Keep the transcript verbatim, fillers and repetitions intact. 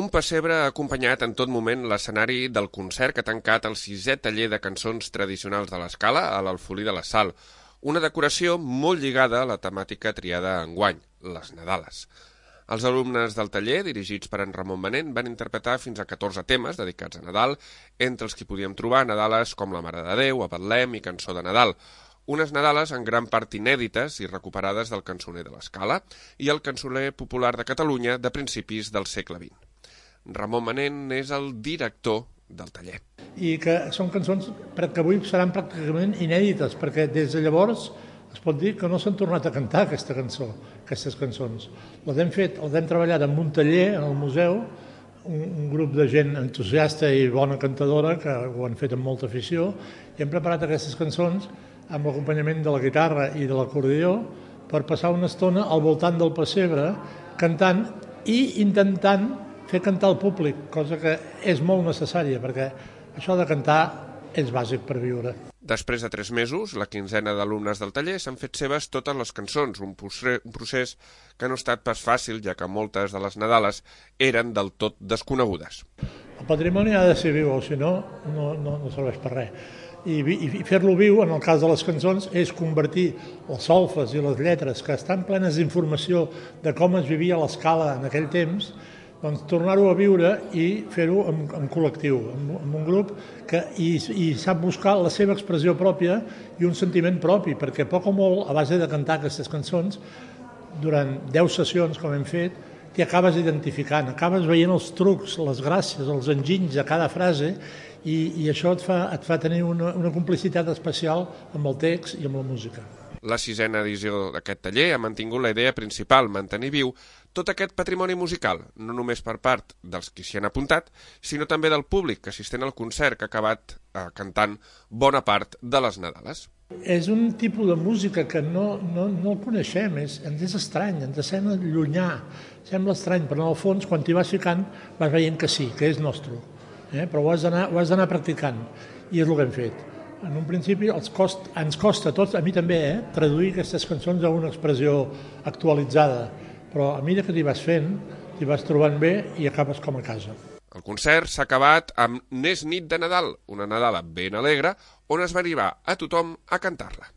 Un pessebre ha acompanyat en tot moment l'escenari del concert que ha tancat el sisè taller de cançons tradicionals de l'Escala a l'Alfolí de la Sal, una decoració molt lligada a la temàtica triada enguany, les Nadales. Els alumnes del taller, dirigits per en Ramon Manent, van interpretar fins a catorze temes dedicats a Nadal, entre els que podíem trobar Nadales com La Mare de Déu, A Betlem i Cançó de Nadal, unes Nadales en gran part inèdites i recuperades del cançoner de l'Escala i el cançoner popular de Catalunya de principis del segle vint. Ramon Manent és el director del taller. I que són cançons que avui seran pràcticament inèdites, perquè des de llavors es pot dir que no s'han tornat a cantar aquesta cançó, aquestes cançons. Les hem fet, les hem treballat en un taller, en el museu, un, un grup de gent entusiasta i bona cantadora, que ho han fet amb molta afició, i hem preparat aquestes cançons amb l'acompanyament de la guitarra i de l'acordió per passar una estona al voltant del pessebre, cantant i intentant fer cantar el públic, cosa que és molt necessària, perquè això de cantar és bàsic per viure. Després de tres mesos, la quinzena d'alumnes del taller s'han fet seves totes les cançons, un procés que no ha estat pas fàcil, ja que moltes de les Nadales eren del tot desconegudes. El patrimoni ha de ser viu, o si no, no, no, no serveix per res. I, i fer-lo viu, en el cas de les cançons, és convertir els solfes i les lletres, que estan plenes d'informació de com es vivia l'Escala en aquell temps, doncs tornar-ho a viure i fer-ho en, en col·lectiu, en, en un grup que i, i sap buscar la seva expressió pròpia i un sentiment propi, perquè poc o molt, a base de cantar aquestes cançons, durant deu sessions, com hem fet, t'hi acabes identificant, acabes veient els trucs, les gràcies, els enginys de cada frase i, i això et fa, et fa tenir una, una complicitat especial amb el text i amb la música. La sisena edició d'aquest taller ha mantingut la idea principal, mantenir viu tot aquest patrimoni musical, no només per part dels qui s'hi han apuntat, sinó també del públic que assistent al concert que ha acabat eh, cantant bona part de les Nadales. És un tipus de música que no, no, no el coneixem, és, ens és estrany, ens sembla llunyà, sembla estrany, però en el fons, quan t'hi vas ficant, vas veient que sí, que és nostre, eh? Però ho has d'anar practicant, i és el que hem fet. En un principi els cost, ens costa a tots, a mi també, eh, traduir aquestes cançons a una expressió actualitzada, però a mesura que t'hi vas fent, t'hi vas trobant bé i acabes com a casa. El concert s'ha acabat amb N'és nit de Nadal, una Nadala ben alegre, on es va arribar a tothom a cantar-la.